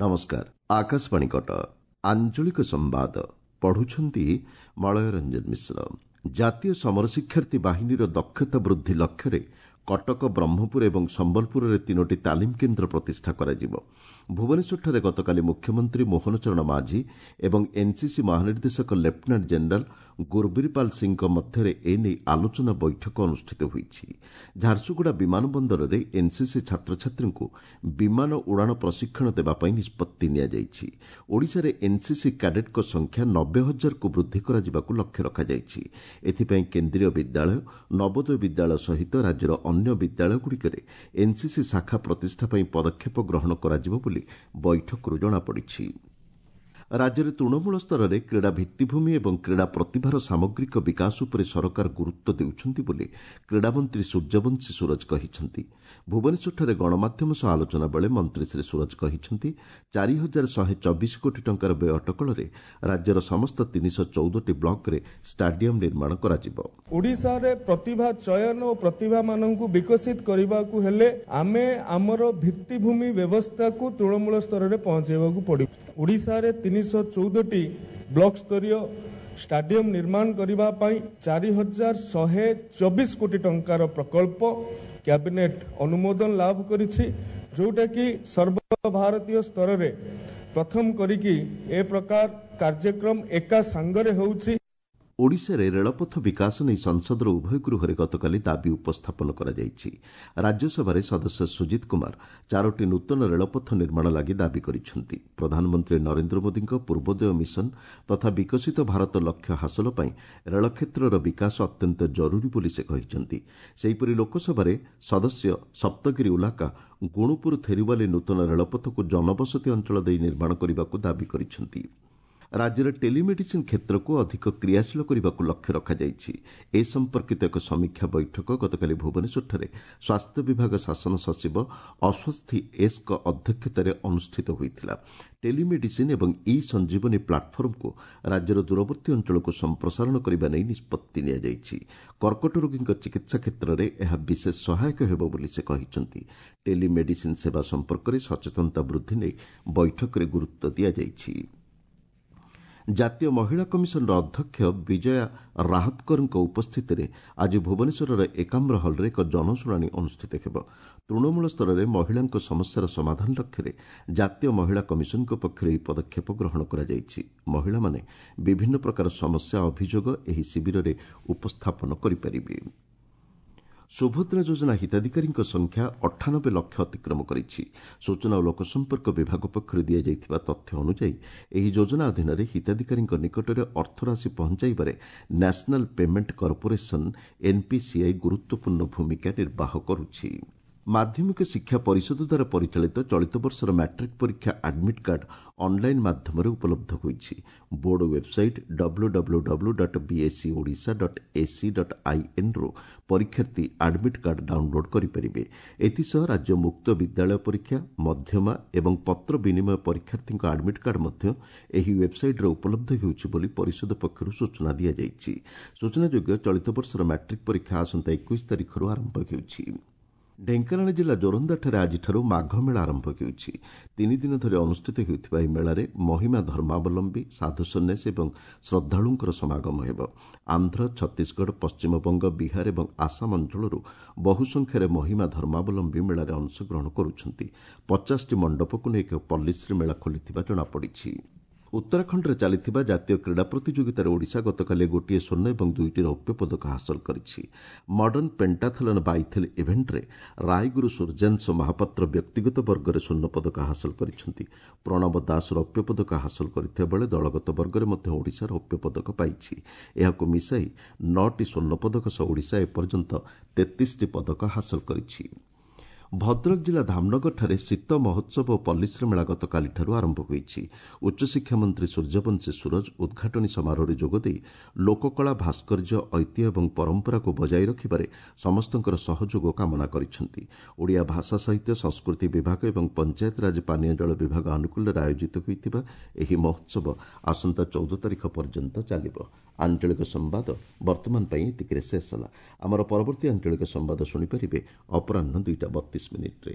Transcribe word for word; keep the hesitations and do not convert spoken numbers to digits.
ନମସ୍କାର, ଆକାଶବାଣୀ କଟକ, ଆଞ୍ଚଳିକ ସମ୍ବାଦ ପଢୁଛନ୍ତି ମଳୟ ରଞ୍ଜନ ମିଶ୍ର। ଜାତୀୟ ସମର ଶିକ୍ଷାର୍ଥୀ ବାହିନୀର ଦକ୍ଷତା ବୃଦ୍ଧି ଲକ୍ଷ୍ୟରେ କଟକ, ବ୍ରହ୍ମପୁର ଏବଂ ସମ୍ବଲପୁରରେ ତିନୋଟି ତାଲିମ କେନ୍ଦ୍ର ପ୍ରତିଷ୍ଠା କରାଯିବ। ଭୁବନେଶ୍ୱରଠାରେ ଗତକାଲି ମୁଖ୍ୟମନ୍ତ୍ରୀ ମୋହନ ଚରଣ ମାଝୀ ଏବଂ ଏନ୍ସିସି ମହାନିର୍ଦ୍ଦେଶକ ଲେଫ୍ଟନାଣ୍ଟ ଜେନେରାଲ ଗୁରବୀରପାଲ ସିଂହଙ୍କ ମଧ୍ୟରେ ଏନେଇ ଆଲୋଚନା ବୈଠକ ଅନୁଷ୍ଠିତ ହୋଇଛି। ଝାରସୁଗୁଡ଼ା ବିମାନ ବନ୍ଦରରେ ଏନ୍ସିସି ଛାତ୍ରଛାତ୍ରୀଙ୍କୁ ବିମାନ ଉଡ଼ାଣ ପ୍ରଶିକ୍ଷଣ ଦେବା ପାଇଁ ନିଷ୍ପତ୍ତି ନିଆଯାଇଛି। ଓଡ଼ିଶାରେ ଏନ୍ସିସି କ୍ୟାଡେଟ୍ଙ୍କ ସଂଖ୍ୟା ନବେ ହଜାରକୁ ବୃଦ୍ଧି କରାଯିବାକୁ ଲକ୍ଷ୍ୟ ରଖାଯାଇଛି। ଏଥିପାଇଁ କେନ୍ଦ୍ରୀୟ ବିଦ୍ୟାଳୟ, ନବୋଦୟ ବିଦ୍ୟାଳୟ ସହିତ ରାଜ୍ୟର ଅନ୍ୟ ବିଦ୍ୟାଳୟଗୁଡ଼ିକରେ ଏନ୍ସିସି ଶାଖା ପ୍ରତିଷ୍ଠା ପାଇଁ ପଦକ୍ଷେପ ଗ୍ରହଣ କରାଯିବ ବୋଲି ବୈଠକରୁ ଜଣାପଡ଼ିଛି। ରାଜ୍ୟରେ ତୃଣମୂଳ ସ୍ତରରେ କ୍ରୀଡ଼ା ଭିତ୍ତିଭୂମି ଏବଂ କ୍ରୀଡ଼ା ପ୍ରତିଭାର ସାମଗ୍ରିକ ବିକାଶ ଉପରେ ସରକାର ଗୁରୁତ୍ୱ ଦେଉଛନ୍ତି ବୋଲି କ୍ରୀଡ଼ାମନ୍ତ୍ରୀ ସୂର୍ଯ୍ୟବଂଶୀ ସୂରଜ କହିଛନ୍ତି। ଭୁବନେଶ୍ୱରଠାରେ ଗଣମାଧ୍ୟମ ସହ ଆଲୋଚନା ବେଳେ ମନ୍ତ୍ରୀ ଶ୍ରୀ ସୂରଜ କହିଛନ୍ତି, ଚାରି ହଜାର ଶହେ ଚବିଶ କୋଟି ଟଙ୍କାର ବ୍ୟୟ ଅଟକଳରେ ରାଜ୍ୟର ସମସ୍ତ ତିନିଶହ ଚଉଦଟି ବ୍ଲକରେ ଷ୍ଟାଡିୟମ ନିର୍ମାଣ କରାଯିବ। ଓଡ଼ିଶାରେ ପ୍ରତିଭା ଚୟନ ଓ ପ୍ରତିଭାମାନଙ୍କୁ ବିକଶିତ କରିବାକୁ ହେଲେ ଆମେ ଆମର ଭିତ୍ତିଭୂମି ବ୍ୟବସ୍ଥାକୁ ତୃଣମୂଳ ସ୍ତରରେ ପହଞ୍ଚାଇବାକୁ ପଡ଼ିବ। ଓଡ଼ିଶାରେ ତିନିଶହ ଚଉଦଟି ବ୍ଲକ ସ୍ତରୀୟ ଷ୍ଟାଡିୟମ ନିର୍ମାଣ କରିବା ପାଇଁ ଚାରି ହଜାର ଶହେ ଚବିଶ କୋଟି ଟଙ୍କାର ପ୍ରକଳ୍ପ କ୍ୟାବିନେଟ ଅନୁମୋଦନ ଲାଭ କରିଛି, ଯେଉଁଟାକି ସର୍ବଭାରତୀୟ ସ୍ତରରେ ପ୍ରଥମ କରିକି ଏ ପ୍ରକାର କାର୍ଯ୍ୟକ୍ରମ ଏକା ସାଙ୍ଗରେ ହେଉଛି। ଓଡ଼ିଶାରେ ରେଳପଥ ବିକାଶ ନେଇ ସଂସଦର ଉଭୟ ଗୃହରେ ଗତକାଲି ଦାବି ଉପସ୍ଥାପନ କରାଯାଇଛି। ରାଜ୍ୟସଭାରେ ସଦସ୍ୟ ସୁଜିତ କୁମାର ଚାରୋଟି ନୂତନ ରେଳପଥ ନିର୍ମାଣ ଲାଗି ଦାବି କରିଛନ୍ତି। ପ୍ରଧାନମନ୍ତ୍ରୀ ନରେନ୍ଦ୍ର ମୋଦିଙ୍କ ପୂର୍ବୋଦୟ ମିଶନ ତଥା ବିକଶିତ ଭାରତ ଲକ୍ଷ୍ୟ ହାସଲ ପାଇଁ ରେଳକ୍ଷେତ୍ରର ବିକାଶ ଅତ୍ୟନ୍ତ ଜରୁରୀ ବୋଲି ସେ କହିଛନ୍ତି। ସେହିପରି ଲୋକସଭାରେ ସଦସ୍ୟ ସପ୍ତଗିରି ଉଲାକା ଗୁଣୁପୁର ଥେରୁବାଲି ନୂତନ ରେଳପଥକୁ ଜନବସତି ଅଞ୍ଚଳ ଦେଇ ନିର୍ମାଣ କରିବାକୁ ଦାବି କରିଛନ୍ତି। ରାଜ୍ୟରେ ଟେଲିମେଡିସିନ୍ କ୍ଷେତ୍ରକୁ ଅଧିକ କ୍ରିୟାଶୀଳ କରିବାକୁ ଲକ୍ଷ୍ୟ ରଖାଯାଇଛି। ଏ ସମ୍ପର୍କିତ ଏକ ସମୀକ୍ଷା ବୈଠକ ଗତକାଲି ଭୁବନେଶ୍ୱରଠାରେ ସ୍ୱାସ୍ଥ୍ୟ ବିଭାଗ ଶାସନ ସଚିବ ଅଶ୍ୱସ୍ଥି ଏସ୍ଙ୍କ ଅଧ୍ୟକ୍ଷତାରେ ଅନୁଷ୍ଠିତ ହୋଇଥିଲା। ଟେଲିମେଡିସିନ୍ ଏବଂ ଇ ସଞ୍ଜୀବନୀ ପ୍ଲାଟଫର୍ମକୁ ରାଜ୍ୟର ଦୂରବର୍ତ୍ତୀ ଅଞ୍ଚଳକୁ ସମ୍ପ୍ରସାରଣ କରିବା ନେଇ ନିଷ୍ପତ୍ତି ନିଆଯାଇଛି। କର୍କଟ ରୋଗୀଙ୍କ ଚିକିତ୍ସା କ୍ଷେତ୍ରରେ ଏହା ବିଶେଷ ସହାୟକ ହେବ ବୋଲି ସେ କହିଛନ୍ତି। ଟେଲିମେଡିସିନ୍ ସେବା ସମ୍ପର୍କରେ ସଚେତନତା ବୃଦ୍ଧି ନେଇ ବୈଠକରେ ଗୁରୁତ୍ୱ ଦିଆଯାଇଛି। ଜାତୀୟ ମହିଳା କମିଶନର ଅଧ୍ୟକ୍ଷ ବିଜୟା ରାହତକରଙ୍କ ଉପସ୍ଥିତିରେ ଆଜି ଭୁବନେଶ୍ୱରର ଏକାମ୍ର ହଲ୍ରେ ଏକ ଜନଶୁଣାଣି ଅନୁଷ୍ଠିତ ହେବ। ତୃଣମୂଳ ସ୍ତରରେ ମହିଳାଙ୍କ ସମସ୍ୟାର ସମାଧାନ ଲକ୍ଷ୍ୟରେ ଜାତୀୟ ମହିଳା କମିଶନଙ୍କ ପକ୍ଷରୁ ଏହି ପଦକ୍ଷେପ ଗ୍ରହଣ କରାଯାଇଛି। ମହିଳାମାନେ ବିଭିନ୍ନ ପ୍ରକାର ସମସ୍ୟା ଅଭିଯୋଗ ଏହି ଶିବିରରେ ଉପସ୍ଥାପନ କରିପାରିବେ। ସୁଭଦ୍ରା ଯୋଜନା ହିତାଧିକାରୀଙ୍କ ସଂଖ୍ୟା ଅଠାନବେ ଲକ୍ଷ ଅତିକ୍ରମ କରିଛି। ସୂଚନା ଓ ଲୋକସମ୍ପର୍କ ବିଭାଗ ପକ୍ଷରୁ ଦିଆଯାଇଥିବା ତଥ୍ୟ ଅନୁଯାୟୀ ଏହି ଯୋଜନା ଅଧୀନରେ ହିତାଧିକାରୀଙ୍କ ନିକଟରେ ଅର୍ଥରାଶି ପହଞ୍ଚାଇବାରେ ନ୍ୟାସନାଲ ପେମେଣ୍ଟ କର୍ପୋରେସନ ଏନ୍ପିସିଆଇ ଗୁରୁତ୍ୱପୂର୍ଣ୍ଣ ଭୂମିକା ନିର୍ବାହ କରୁଛି। ମାଧ୍ୟମିକ ଶିକ୍ଷା ପରିଷଦ ଦ୍ୱାରା ପରିଚାଳିତ ଚଳିତ ବର୍ଷର ମ୍ୟାଟ୍ରିକ୍ ପରୀକ୍ଷା ଆଡମିଟ୍ କାର୍ଡ ଅନ୍ଲାଇନ୍ ମାଧ୍ୟମରେ ଉପଲବ୍ଧ ହୋଇଛି। Board website W W W dot BSE Odisha dot AC dot ଆଇଏନ୍ରୁ ପରୀକ୍ଷାର୍ଥୀ ଆଡମିଟ୍ କାର୍ଡ ଡାଉନଲୋଡ୍ କରିପାରିବେ। ଏଥିସହ ରାଜ୍ୟ ମୁକ୍ତ ବିଦ୍ୟାଳୟ ପରୀକ୍ଷା, ମଧ୍ୟମା ଏବଂ ପତ୍ର ବିନିମୟ ପରୀକ୍ଷାର୍ଥୀଙ୍କ ଆଡମିଟ୍ କାର୍ଡ ମଧ୍ୟ ଏହି ୱେବ୍ସାଇଟ୍ରେ ଉପଲବ୍ଧ ହେଉଛି ବୋଲି ପରିଷଦ ପକ୍ଷରୁ ସୂଚନା ଦିଆଯାଇଛି। ସୂଚନାଯୋଗ୍ୟ, ଚଳିତ ବର୍ଷର ମ୍ୟାଟ୍ରିକ୍ ପରୀକ୍ଷା ଆସନ୍ତା ଏକୋଇଶ ତାରିଖରୁ ଆରମ୍ଭ ହେଉଛି। ଢେଙ୍କାନାଳ ଜିଲ୍ଲା ଜୋରନ୍ଦାଠାରେ ଆଜିଠାରୁ ମାଘ ମେଳା ଆରମ୍ଭ ହେଉଛି। ତିନି ଦିନ ଧରି ଅନୁଷ୍ଠିତ ହେଉଥିବା ଏହି ମେଳାରେ ମହିମା ଧର୍ମାବଲମ୍ବୀ, ସାଧୁସନ୍ନ୍ୟାସୀ ଏବଂ ଶ୍ରଦ୍ଧାଳୁଙ୍କର ସମାଗମ ହେବ। ଆନ୍ଧ୍ର, ଛତିଶଗଡ଼, ପଶ୍ଚିମବଙ୍ଗ, ବିହାର ଏବଂ ଆସାମ ଅଞ୍ଚଳରୁ ବହୁ ସଂଖ୍ୟାରେ ମହିମା ଧର୍ମାବଲମ୍ବୀ ମେଳାରେ ଅଂଶଗ୍ରହଣ କରୁଛନ୍ତି। ପଚାଶଟି ମଣ୍ଡପକୁ ନେଇ ଏକ ପଲ୍ଲୀଶ୍ରୀ ମେଳା ଖୋଲିଥିବା ଜଣାପଡ଼ିଛି। ଉତ୍ତରାଖଣ୍ଡରେ ଚାଲିଥିବା ଜାତୀୟ କ୍ରୀଡ଼ା ପ୍ରତିଯୋଗିତାରେ ଓଡ଼ିଶା ଗତକାଲି ଗୋଟିଏ ସ୍ୱର୍ଣ୍ଣ ଏବଂ ଦୁଇଟି ରୌପ୍ୟ ପଦକ ହାସଲ କରିଛି। ମଡର୍ଣ୍ଣ ପେଣ୍ଟାଥଲନ୍ ବାଇଥେଲ୍ ଇଭେଣ୍ଟରେ ରାୟଗୁରୁ ସୂର୍ଯ୍ୟାଂଶ ମହାପାତ୍ର ବ୍ୟକ୍ତିଗତ ବର୍ଗରେ ସ୍ୱର୍ଣ୍ଣ ପଦକ ହାସଲ କରିଛନ୍ତି। ପ୍ରଣବ ଦାସ ରୌପ୍ୟ ପଦକ ହାସଲ କରିଥିବା ବେଳେ ଦଳଗତ ବର୍ଗରେ ମଧ୍ୟ ଓଡ଼ିଶା ରୌପ୍ୟ ପଦକ ପାଇଛି। ଏହାକୁ ମିଶାଇ ନଅଟି ସ୍ୱର୍ଣ୍ଣ ପଦକ ସହ ଓଡ଼ିଶା ଏପର୍ଯ୍ୟନ୍ତ ତେତିଶଟି ପଦକ ହାସଲ କରିଛି। ଭଦ୍ରକ ଜିଲ୍ଲା ଧାମନଗରଠାରେ ଶୀତ ମହୋତ୍ସବ ଓ ପଲ୍ଲୀଶ୍ରୀ ମେଳା ଗତକାଲିଠାରୁ ଆରମ୍ଭ ହୋଇଛି। ଉଚ୍ଚଶିକ୍ଷା ମନ୍ତ୍ରୀ ସୂର୍ଯ୍ୟବଂଶୀ ସୂରଜ ଉଦ୍ଘାଟନୀ ସମାରୋହରେ ଯୋଗଦେଇ ଲୋକକଳା, ଭାସ୍କର୍ଯ୍ୟ, ଐତିହ୍ୟ ଏବଂ ପରମ୍ପରାକୁ ବଜାୟ ରଖିବାରେ ସମସ୍ତଙ୍କର ସହଯୋଗ କାମନା କରିଛନ୍ତି। ଓଡ଼ିଆ ଭାଷା ସାହିତ୍ୟ ସଂସ୍କୃତି ବିଭାଗ ଏବଂ ପଞ୍ଚାୟତରାଜ ପାନୀୟ ଜଳ ବିଭାଗ ଆନୁକୂଲ୍ୟରେ ଆୟୋଜିତ ହୋଇଥିବା ଏହି ମହୋତ୍ସବ ଆସନ୍ତା ଚଉଦ ତାରିଖ ପର୍ଯ୍ୟନ୍ତ ଚାଲିବ। ଆଞ୍ଚଳିକ ସମ୍ବାଦ ବର୍ତ୍ତମାନ ପାଇଁ ଏତିକିରେ ଶେଷ ହେଲା। ଆମର ପରବର୍ତ୍ତୀ ଆଞ୍ଚଳିକ ସମ୍ବାଦ ଶୁଣିପାରିବେ ଅପରାହ୍ନ ଦୁଇଟା ବତିଶ ମିନିଟ୍ରେ।